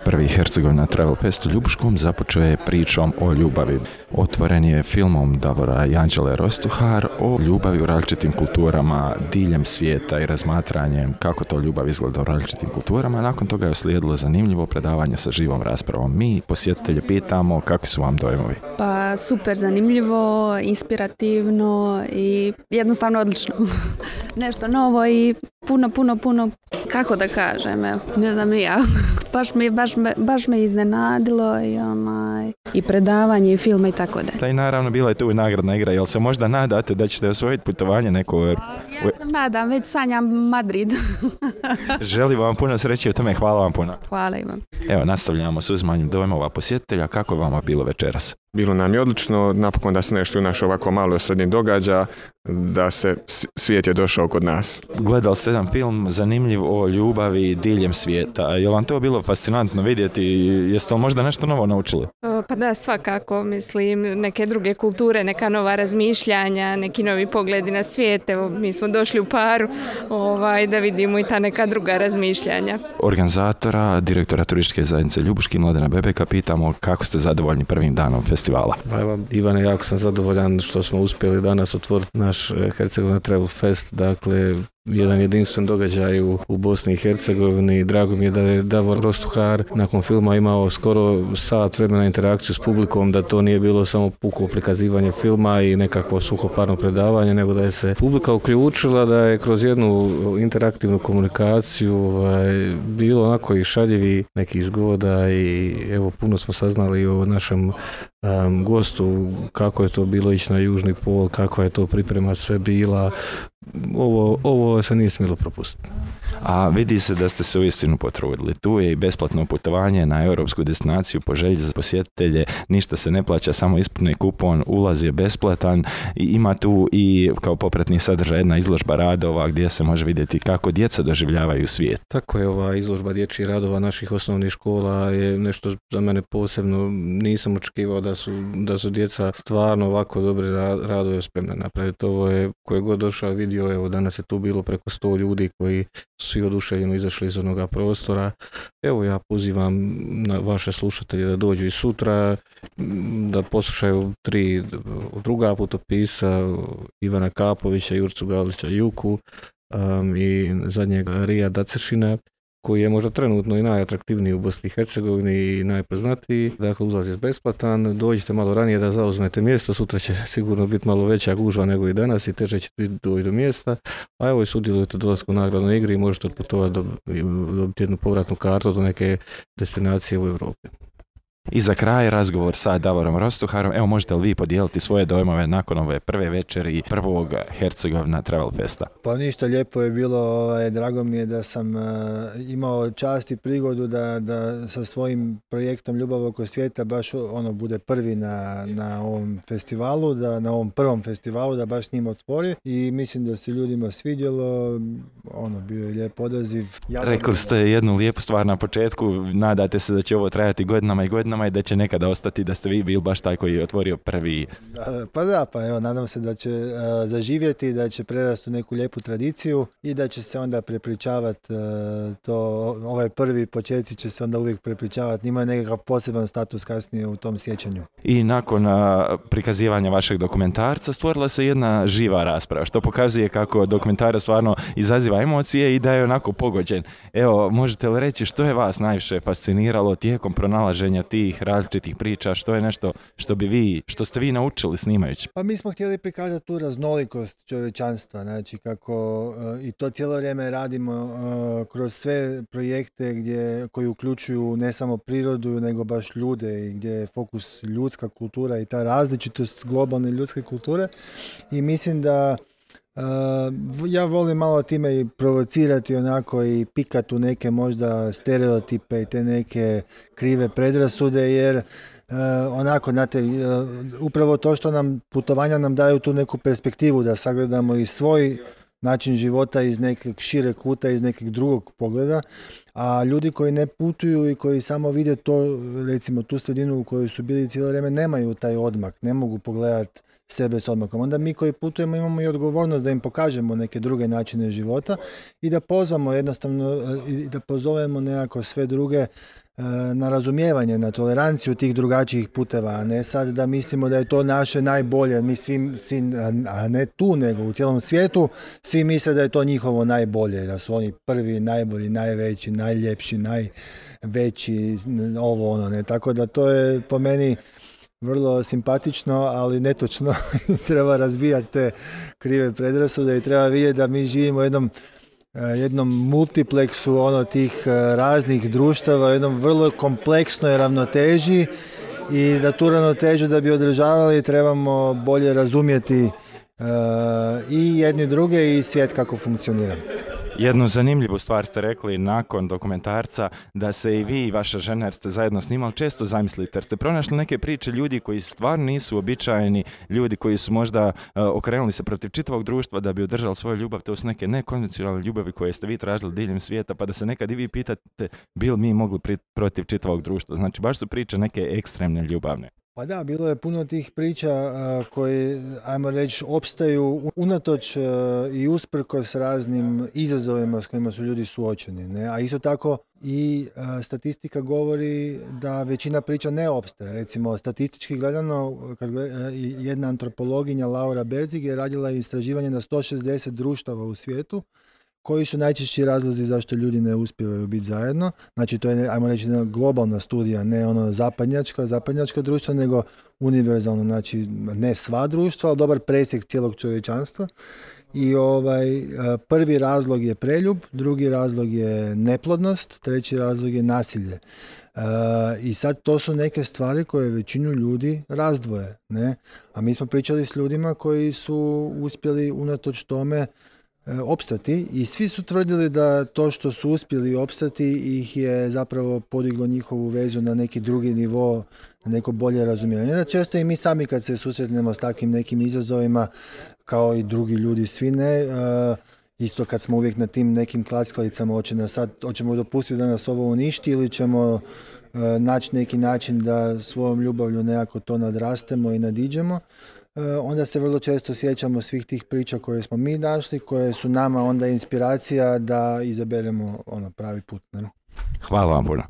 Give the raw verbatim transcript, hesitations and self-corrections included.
Prvi Hercegovina Travel Fest u Ljubuškom započeo je pričom o ljubavi. Otvoren je filmom Davora i Anđele Rostuhar o ljubavi u različitim kulturama diljem svijeta i razmatranjem kako to ljubav izgleda u različitim kulturama. Nakon toga je uslijedilo zanimljivo predavanje sa živom raspravom. Mi posjetitelje pitamo kakvi su vam dojmovi. Pa super zanimljivo, inspirativno i jednostavno odlično. Nešto novo i puno, puno, puno, kako da kažem, evo, ne znam ni ja. Baš me, baš me, baš me iznenadilo i, onaj, i predavanje i filme i tako da. Da, i naravno bila je tu i nagradna igra. Jel se možda nadate da ćete osvojiti putovanje neko? Ja sam nadam, već sanjam Madrid. Želim vam puno sreće u tome, hvala vam puno. Hvala i vam. Evo, nastavljamo s uzimanjem dojmova posjetitelja. Kako je vama bilo večeras? Bilo nam je odlično, napokon da se nešto u naš ovako malo srednji događa, da se svijet je došao kod nas. Gledali ste jedan film zanimljiv o ljubavi diljem svijeta. Je li vam to bilo fascinantno vidjeti? Jeste li možda nešto novo naučili? Pa da, svakako, mislim, neke druge kulture, neka nova razmišljanja, neki novi pogledi na svijet. Evo, mi smo došli u paru ovaj, da vidimo i ta neka druga razmišljanja. Organizatora, direktora turističke zajednice Ljubuški, Mladena Bebeka, pitamo kako ste zadovoljni prvim danom festivala. Pa evo, Ivane, jako sam zadovoljan što smo uspjeli danas otvoriti naš Hercegovina Travel Fest, dakle jedan jedinstven događaj u, u Bosni i Hercegovini. Drago mi je da je Davor Rostuhar nakon filma imao skoro sat vremena interakciju s publikom, da to nije bilo samo puko prikazivanje filma i nekakvo suhoparno predavanje, nego da je se publika uključila, da je kroz jednu interaktivnu komunikaciju ovaj, bilo onako i šaljivi nekih zgoda i evo puno smo saznali o našem um, gostu, kako je to bilo ići na južni pol, kako je to priprema sve bila. Ovo, ovo se nije smjelo propustiti. A vidi se da ste se uistinu potrudili. Tu je i besplatno putovanje na europsku destinaciju po želji za posjetitelje. Ništa se ne plaća, samo ispuni kupon, ulaz je besplatan i ima tu i kao popratni sadržaj jedna izložba radova gdje se može vidjeti kako djeca doživljavaju svijet. Tako je, ova izložba dječjih radova naših osnovnih škola je nešto za mene posebno. Nisam očekivao da su, da su djeca stvarno ovako dobre radove spremne napraviti. Ovo je, ko je god došao vidio, evo danas je tu bilo preko sto ljudi koji svi oduševljeno izašli iz onoga prostora. Evo ja pozivam na vaše slušatelje da dođu i sutra, da poslušaju tri druga putopisa, Ivana Kapovića, Jurcu Galića Juku um, i zadnjeg Rija Dacešina, koji je možda trenutno i najatraktivniji u Bosni i Hercegovini i najpoznatiji. Dakle, ulaz je besplatan, dođite malo ranije da zauzmete mjesto, sutra će sigurno biti malo veća gužva nego i danas i teže će biti doći do mjesta. A evo i sudjelujete u dolasku u nagradnoj igri i možete otputovati do, dobiti jednu povratnu kartu do neke destinacije u Europi. I za kraj razgovor sa Davorom Rostuharom. Evo, možete li vi podijeliti svoje dojmove nakon ove prve večeri prvog Hercegovina Travel Festa? Pa ništa, lijepo je bilo, ovaj, drago mi je da sam uh, imao čast i prigodu da, da sa svojim projektom Ljubav oko svijeta baš ono bude prvi na, na ovom festivalu, da na ovom prvom festivalu da baš s njim otvori i mislim da se ljudima svidjelo, ono bio je lijep odaziv. Ja Rekli ste jednu lijepu stvar na početku, nadate se da će ovo trajati godinama i godinama i da će nekada ostati da ste vi bili baš taj koji je otvorio prvi. Da, pa da, pa evo, nadam se da će uh, zaživjeti, da će prerasti u neku lijepu tradiciju i da će se onda prepričavati uh, to, ovaj prvi početci će se onda uvijek prepričavati, imaju nekakav poseban status kasnije u tom sjećanju. I nakon uh, prikazivanja vašeg dokumentarca stvorila se jedna živa rasprava, što pokazuje kako dokumentarac stvarno izaziva emocije i da je onako pogođen. Evo, možete li reći što je vas najviše fasciniralo tijekom pronalaženja tih različitih priča, što je nešto što bi vi, što ste vi naučili snimajući? Pa mi smo htjeli prikazati tu raznolikost čovječanstva, znači kako uh, i to cijelo vrijeme radimo uh, kroz sve projekte gdje, koji uključuju ne samo prirodu, nego baš ljude i gdje je fokus ljudska kultura i ta različitost globalne ljudske kulture i mislim da Uh, ja volim malo time i provocirati onako i pikati u neke možda stereotipe i te neke krive predrasude jer uh, onako znate uh, upravo to što nam putovanja nam daju tu neku perspektivu da sagledamo i svoj način života iz nekog šire kuta, iz nekog drugog pogleda, a ljudi koji ne putuju i koji samo vide to, recimo tu sredinu u kojoj su bili cijelo vrijeme, nemaju taj odmak, ne mogu pogledati sebe s odmakom. Onda mi koji putujemo imamo i odgovornost da im pokažemo neke druge načine života i da pozvamo jednostavno i da pozovemo nekako sve druge na razumijevanje, na toleranciju tih drugačijih puteva, a ne sad da mislimo da je to naše najbolje, mi svi, svi, a ne tu nego u cijelom svijetu, svi misle da je to njihovo najbolje, da su oni prvi, najbolji, najveći, najljepši, najveći, ovo ono, ne, tako da to je po meni vrlo simpatično, ali netočno. Treba razbijati te krive predrasude i treba vidjeti da mi živimo u jednom jednom multipleksu ono tih raznih društava, jednom vrlo kompleksnoj ravnoteži i da tu ravnotežu da bi održavali trebamo bolje razumjeti uh, i jedni druge i svijet kako funkcionira. Jednu zanimljivu stvar ste rekli nakon dokumentarca, da se i vi i vaša žena, jer ste zajedno snimali, često zamislite, jer ste pronašli neke priče ljudi koji stvarno nisu običajni, ljudi koji su možda uh, okrenuli se protiv čitavog društva da bi održali svoju ljubav. To su neke nekonvencionalne ljubavi koje ste vi tražili diljem svijeta, pa da se nekad i vi pitate bi li mi mogli pri, protiv čitavog društva. Znači baš su priče neke ekstremne ljubavne. Pa da, bilo je puno tih priča uh, koji, ajmo reći, opstaju unatoč uh, i usprkos raznim izazovima s kojima su ljudi suočeni. Ne? A isto tako i uh, statistika govori da većina priča ne opstaje. Recimo, statistički gledano, kad gleda, jedna antropologinja Laura Berzig je radila istraživanje na sto šezdeset društava u svijetu, koji su najčešći razlozi zašto ljudi ne uspijevaju biti zajedno. Znači to je, ajmo reći, jedna globalna studija, ne ono zapadnjačka, zapadnjačka društva, nego univerzalno, znači ne sva društva, ali dobar presjek cijelog čovječanstva. I ovaj, prvi razlog je preljub, drugi razlog je neplodnost, treći razlog je nasilje. Uh, I sad to su neke stvari koje većinu ljudi razdvoje. Ne? A mi smo pričali s ljudima koji su uspjeli unatoč tome opstati i svi su tvrdili da to što su uspjeli opstati ih je zapravo podiglo njihovu vezu na neki drugi nivo, na neko bolje razumijevanje. Da često i mi sami kad se susretnemo s takvim nekim izazovima, kao i drugi ljudi, svi ne, uh, isto kad smo uvijek na tim nekim klackalicama, hoće nas sad, hoćemo dopustiti da nas ovo uništi ili ćemo uh, naći neki način da svojom ljubavlju nekako to nadrastemo i nadiđemo. Onda se vrlo često sjećamo svih tih priča koje smo mi našli, koje su nama onda inspiracija da izaberemo ono pravi put. Ne? Hvala vam puno.